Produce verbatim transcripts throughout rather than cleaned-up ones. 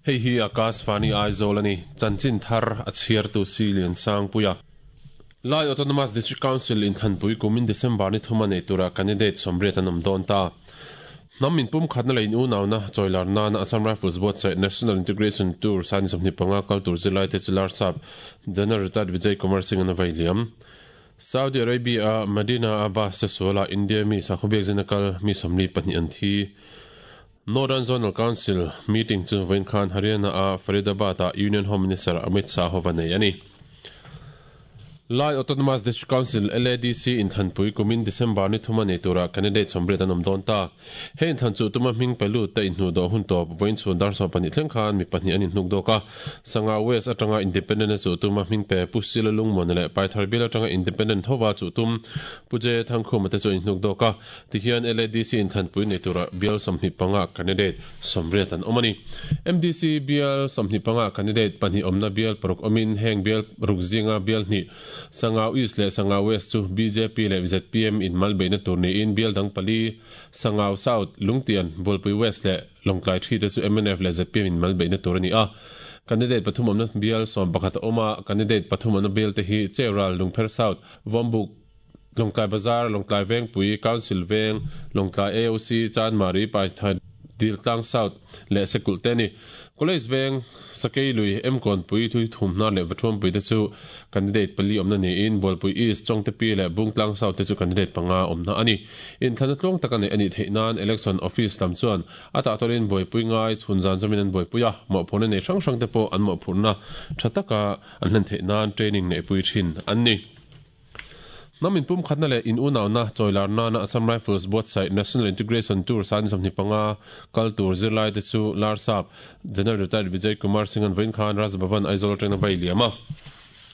Hei hi Akashvani Aizawl a ni. Chanchin thar a chhiartu si Lian Sangpuia. Lai Autonomous District Council inthlanpui kumin December ni thuma nei tura candidate sawmriat an awm dawn ta. Hnam inpum khatna leh in unauna chawilar nana Assam Rifles buatsaih National Integration Tour sani sawmhnih panga kal tur zirlai te chu Larsap General Retired Vijay Kumar Singh an a vai liam. Saudi Arabia a Madina a bus te sualah India mi sakhaw biakzin a kal mi sawmli pahnih an thi. Northern Zonal Council meeting chu vawiin khan Haryana a Faridabad ah Union Home Minister Amit Shah hova nei a ni. Lai Autonomous District Council, LADC, inthlanpui kumin December ni thuma nei tura candidate sawmriat an awm dawn ta. He inthlan chu tuma hming pe lut te inhnuh dawh hun tawp vawiin chhun dar sawm pahnih thleng khan mi pahnih an inhnuk dawk a. Sanga West atanga Independent a chuh tuma hming pe Pu Sila Lungmuana leh Paithar Bial atanga Independent hova chuh tum Pu J Thangkhuma te chu an inhnuk dawk a. Tihian LADC inthlanpui nei tura bial sawmhnih panga candidate sawmriat an awm a ni. MDC bial sawmhnih panga candidate pahnih awmna bial paruk awmin heng bial ruk zinga bial hnih Sangau East leh Sangau West chu bjp leh zpm in mal beihna tur niin bial dang pali Sangau South, Lungtian, Bualpui West leh Lawngtlai thi te chu mnf leh zpm in mal beihna tur a ni a. Candidate pathum awmna bial sawm pakhat a awm a, candidate pathum awmna bial te hi Cheural, Lungpher South, Vawmbuk, Lawngtlai Bazar, Lawngtlai Vengpui, Council Veng, Lawngtlai AOC, Chanmari, Paithai, Diltlang South leh Sekulh te a ni. College Veng, Sakei Lui, Emkawnpui, Thui Thumhnar leh Vathuampui te chu candidate pali awmna niin Bualpui East, Chawngtepi leh Bungtlang South te chu candidate panga awmna a ni. Inthlanna tluang tak a neih a nih theih nan Election Office lam chuan a tahtawlin buaipui ngai chhun zan zawmin an buaipui a, mawhphurhna nei hrang hrang te pawh an mawhphurhna tha taka an hlen theih nan training neihpui thin an ni. Hnam inpumkhatna leh in unauna chawilar nana Assam Rifles buatsaih National Integration Tour sani sawmhnih panga kal tur zirlai te chu Larsap General Retired Vijay Kumar Singh an vawiin khan Raj Bhavan Aizawl atangin a vai liam a.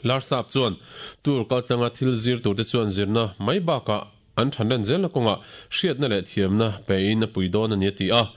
Larsap chuan tour kaltlanga thil zir tur te chuan zirna mai bakah an thanlen zelna kawngah hriatna leh thiamna pein a pui dawn a ni a ti a.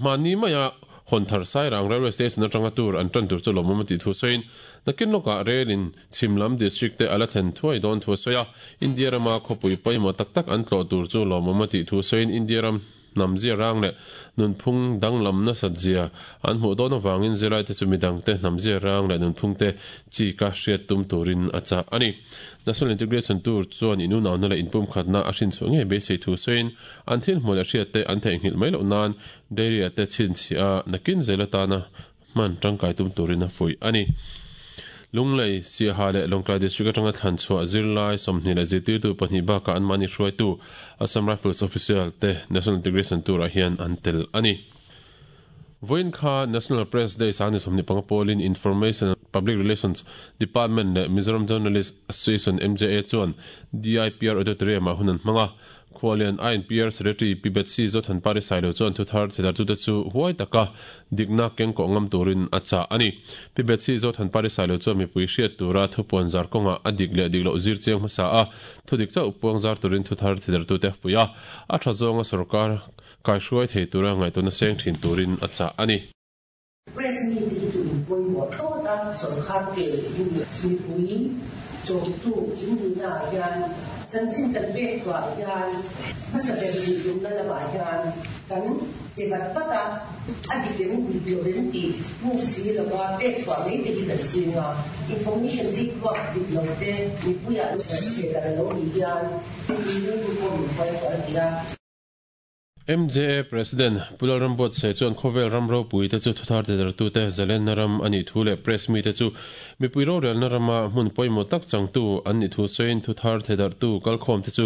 Hmanni maia Hawnthar Sairang Railway Station atanga tour an tan tur chu lawmawm a tih thu sawiin, nakin lawkah rail in chhim lam district te a la thlen thuai dawn thu a sawi a. India rama khawpui pawimawh tak tak an tlawh tur chu lawmawm a tih thu sawiin India ram hnam zia rang leh nunphung danglam nasat zia an hmuh dawn avangin zirlaite chu midangte hnam zia rang leh nunphungte chi ka hriat tum turin a chah a ni. National Integration Tour chuan inunauna leh inpumkhatna a hrinchhuah ngei beisei thu sawiin an thil hmuh leh hriatte an theihnghilh mai loh nan Dairy-ah te chhinchhiah a nakin zel atana hman tangkai tum turin a fuih a ni. Lunglei, Siaha leh Lawngtlai District atanga thlan chhuah zirlai sawmhnih leh zirtirtu pahnih bakah anmahni hruaitu Assam Rifles official te National Integration Tour-ah hian an tel a ni. Vawiin kha National Press Day sani sawmhnih panga pawlin Information and Public Relations Department leh Mizoram Journalist Association, MJA, chuan DIPR Auditorium-ah hun an hmang a. Khualian INPR Secretary Pi Betsy Zothanpari Sailo chuan thuthar theidartute chu huai taka dikna kengkawh ngam turin a chah a ni. Pi Betsy Zothanpari Sailo chuan mipui hriat tura thupuan zar kawngah a dik leh dik loh zir chiang hmasa a, thudik chauh puang zar turin thuthar theidartute a fuih a, a tha zawnga sorkar kaihruai thei tura ngaihtuahna seng thin turin a chah a ni. Press mi te hi chu in pawimawh thlawt a, sorkar ke mipui chawmtu in nihna ah hian chanchin kan pek thuah hian hmasa ber nih tumna lamah hian kan pe vat vat a, a dik em dik lo em tih hmuh si lova pek thuah mai te hi kan ching a, information zik tluak dik lo te mipuiah chhe dan lo nih hian mipui rilru pawh min hruai sual thei a. MJA President Pu Lalrambuatsaih chuan khawvel ram ropui te chu thuthar tidartute zalenna ram a nih thu leh press mite chu mipui rorelna rama hmun pawimawh tak changtu an nih thu sawiin thuthar thedarhtu kalkhawm te chu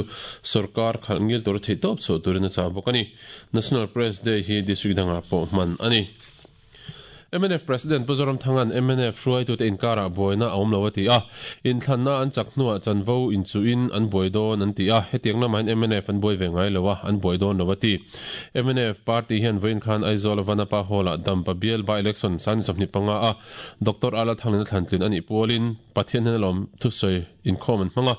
sorkar khalh ngil tura theihtawp chhuah turin a chah bawk a ni. National Press Day hi district dangah pawh hman a ni. Mnf President Pu Zoramthanga'n mnf hruaitute inkarah buaina a awm lo a ti a, inthlanna an chak hnuah chanvo inchuhin an buai dawn an ti a, hetiang lamahin mnf an buai ve ngai lo a, an buai dawn lo a ti. Mnf party hian vawiin khan Aizawl Vanapa Hall-ah Dampa bial by-election sani sawmhnih panga a Doctor Ala Thanglina thlantlin a nih pualin Pathian hian alawm thusawi inkhawm an hmang a.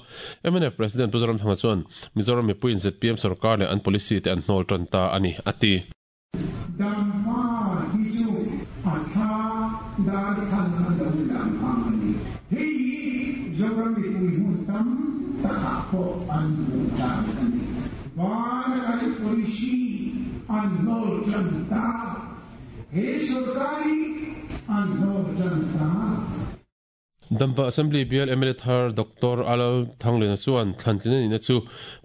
Mnf President Pu Zoramthanga chuan Mizoram mipuiin zpm sorkar leh an policy te an hnawl tan ta a ni a ti. Dampa hi chu a thla dar thlan a lo lang ang a ni. Hei hi Zoram mipui hmun tam takah pawh an hmuh dan a ni. Vana kan policy an hnawl tan ta. He sorkar hi An hnawl tan ta. Dampa Assembly bial M L A thar Doctor Alal Thanglena chuan thlantlina nihna chu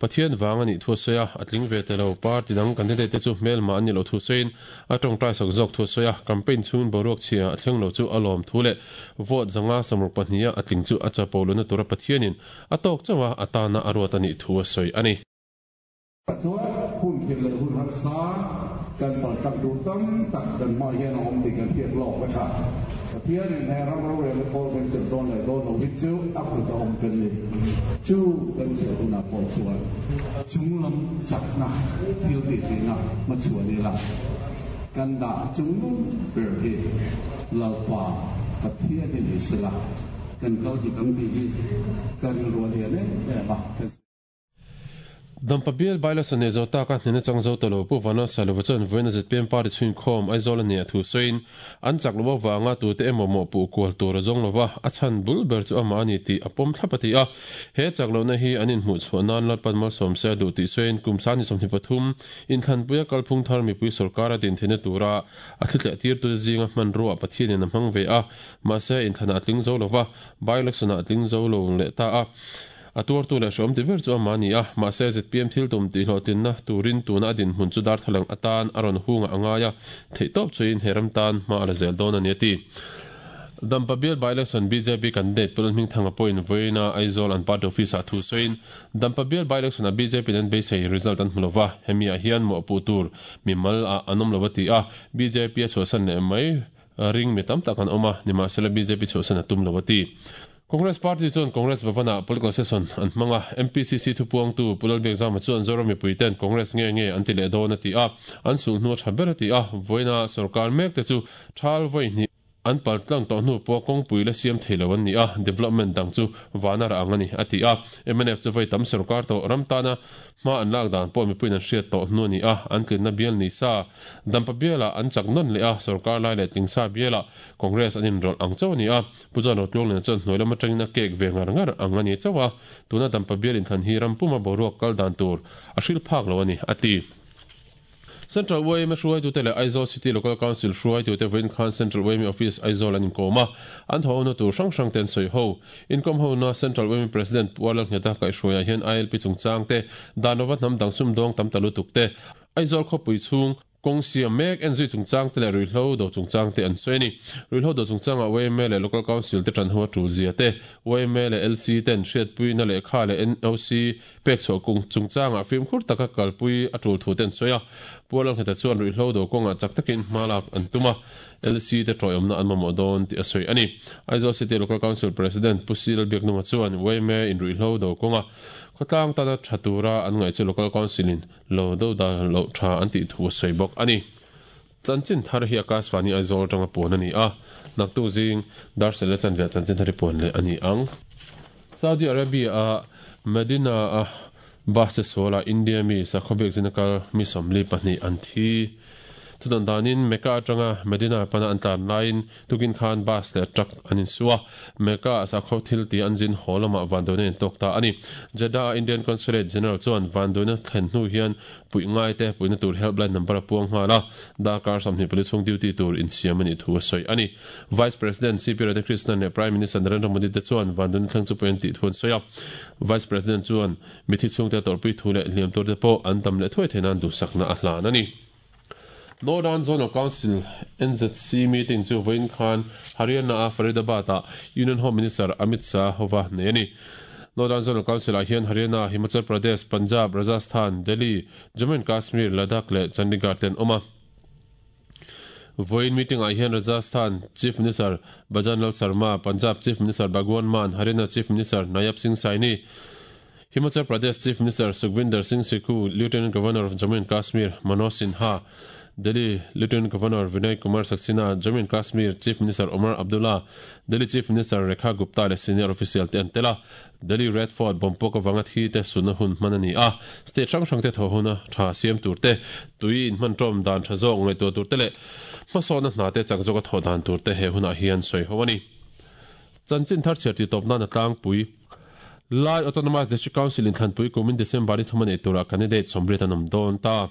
Pathian vang a nih thu a sawi a, a tling ve ta lo. Party dang candidate te chu hmelma an ni lo thu sawiin a tawngtai sak zawk thu a sawi a, campaign chhungin boruak chhia a thleng lo chu a lawm thu leh vote zanga samruk pahniha a tling chu a chapo lohna tura Pathianin a tawk chauh a, a tana a ruat a nih thu a sawi a ni. Chuan hun khirh leh hun harsa kan paltlang tur tam tak kan hmah hian a awm tih kan hriat lawk a tha. Pathianin he ram rorelna kawl kan chelh dawn leh dawn lo hi chu a kut a awm kan ni. Chu kan chelh hunah pawh chuan chunglam chakna thil tihtheihna hmachhuan ila kan dah chungnung ber hi Lalpa Pathian hi ni sela kan kal dik ang tih hi ka rilru a lian em em a. Dampa bial Bailason nei zo taka hnena chang zo ta lo Pu Vana Salova chuan vawiin a Z P M party chhuinkhawm Aizawl a nia thu sawiin an chak loh avanga tute emaw mawhpuh kual tur a zawng lova a chhan bul ber chu amah a ni tih a pawm thlap a ti a. He chak lohna hi an inhmuh chhuah nan Lalpan malsawm se a duh tih sawiin kum sani sawmhnih pathum inthlanpuia kalphung thar mipui sorkar a din theihna tura a thli tirtute zinga hmanrua Pathianin a hmang ve a, mahse inthlanah a tling zo lova by-election-ah a tling zo lo leh ta a. A tuartu leh hreawm ti ber chu amah a ni a, mahse Z P M thil tum tihhlawhtlinna turin tuna a dinhmun chu darthlalang atan a rawn hunga a ngai a, theihtawp chuin he ram tan hma a la zel dawn a ni a ti. Dampa bial by-election B J P candidate Pu Lalhmingthanga pawhin vawiina Aizawl an party office-ah thu sawiin Dampa bial by-election-ah B J P-in an beisei result an hmu lova, hemiah hian mawhpuh tur mimal ah an awm lo a ti a, B J P a chhuahsan leh mai ring mi tam tak an awm a, nimahsela B J P chhuahsan a tum lo a ti. Congress Party chuan Congress Bhavan-ah political session an hmang a, M P C C thupuangtu Pu Lalbiakzama chuan Zoram mipuiten Congress nge nge an ti leh dawn a ti a, an sulhnu a tha ber a ti a, vawiina sorkar mek te chu thal vawi hnih an paltlang tawh hnu pawh kawngpui la siam thei lo an ni a, development dang chu vana rah ang a ni a ti a, M N F chu vawi tam sorkar tawh ram tana hma an lak dan pawh mipuiin an hriat tawh hnu a ni a, an tlinna bial ni sa Dampa bialah an chak nawn leh a, sorkar lai leh tlingsa bialah Congress an inrawlh ang chauh a ni a, Pu John Rotluangliana chuan hnuai lam atangin a kek ve ngar ngar ang a ni chauh a, tuna Dampa bial inthlan hi ram puma boruak kal dan tur a hrilh phak lo a ni, a ti. Central Y M A hruaitute leh Aizawl City Local Council hruaitute vawiin khan Central Y M A Office Aizawl an inkawm a, an thawhna tur hrang hrang te an sawi ho. Inkawm hona Central Y M A President Pu Lalngheta kaihhruaiah hian I L P chungchang te, dan lova hnam dang sumdawng tam ta lutuk te, Aizawl khawpui chhung kawng siam mek enzui chungchang te leh ruihhlo do chungchang te an sawi a ni. Ruihhlo do chungchangah Y M A leh Local Council te tan ho a tul zia te, Y M A leh L C ten hriatpuina lehkha leh N O C pek chhuah kung chungchangah fimkhur taka kalpui a tul thu te an sawi a. Pu Lalngheta chuan ruihhlo do kawngah chak takin hma lak an tum a, L C te tawiawmna an mamawh dawn tih a sawi a ni. Aizawl City Local Council President Pu Si Lalbiaknunga chuan Y M A in ruihhlo do kawnga khawtlang tana tha tura an ngaih chu Local Council in lo do da lo tha an tih thu a sawi bawk a ni. Chanchin thar hi Akashvani Aizawl atanga puan a ni a, naktu zing darsel le chanve chanchin thar hi puan leh a ni ang. Saudi Arabia a Medina a bus che suala India mi sakhawbek zinakal mi sawmli pahnih an thi. Thudan danin Mecca atanga Medina pana an tlan laiin tukin khan bus leh truck an insua. Mecca sakhaw thil ti an zin haw lamah vanduaina in tawk ta a ni. Jeddah Indian Consulate General chuan vanduaina thlen hnu hian puih ngai te puihna tur helpline number a puang nghal a, darkar sawmhnih pali chhung duty tur insiam a nih thu a sawi a ni. Vice President C P Radhakrishnan leh Prime Minister Narendra Modi te chuan vanduaina thleng chu puih an tih thu an sawi a. Vice President chuan mithi chhungte tawrhpui thu leh hliam tur te pawh an tam leh thuai theih nan duhsakna a hlan a ni. Northern Zonal Council N Z C meeting chu vawiin khan Haryana a Faridabad ah Union Home Minister Amit Shah hova nei a ni. Northern Zonal Council ah hian Haryana, Himachal Pradesh, Punjab, Rajasthan, Delhi, Jammu and Kashmir, Ladakh leh Chandigarh te an awm a. Vawiin meeting ah hian Rajasthan Chief Minister Bhajan Lal Sharma, Punjab Chief Minister Bhagwant Mann, Haryana Chief Minister Nayab Singh Saini, Himachal Pradesh Chief Minister Sukhvinder Singh Sukhu, Lieutenant Governor of Jammu and Kashmir Manoj Sinha, Delhi Lieutenant Governor Vinay Kumar Saxena, Jammu and Kashmir Chief Minister Omar Abdullah, Delhi Chief Minister Rekha Gupta leh senior official te an tel a. Delhi Red Fort bompawk awanga thi te sunna hun hman a ni a, state hrang hrang te thaw huna tha siam tur te, tui in hman tawm dan tha zawk ngaihtuah tur te leh hmasawna hna te chak zawka thaw dan tur te he hunah hian sawi ho a ni. Chanchin thar chhiar ti tawp nan a tlangpui Lai Autonomous District Council inthlanpui kumin December ni thum a nei tura candidate sawmriat an awm dawn ta.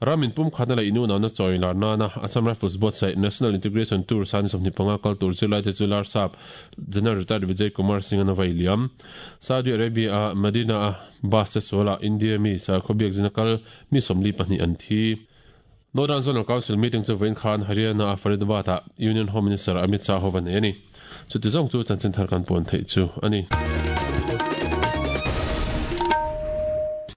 Ramin pum khatna leh inu na chawi lar na na Assam Rifles buatsaih National Integration Tour san sawmhnih panga kal tur zirlai te chu Larsap General Retired Vijay Kumar Singh an vai liam. Saudi Arabia a Medina a bus che suala India mi sakhaw biak zina kal mi sawmli pahnih an thi. Northern Zonal Council meeting chu vawiin khan Haryana a Faridabad ah Union Home Minister Amit Shah ho va nei a ni. Chuti zawng chu chanchin thar kan puan theih chu a ni.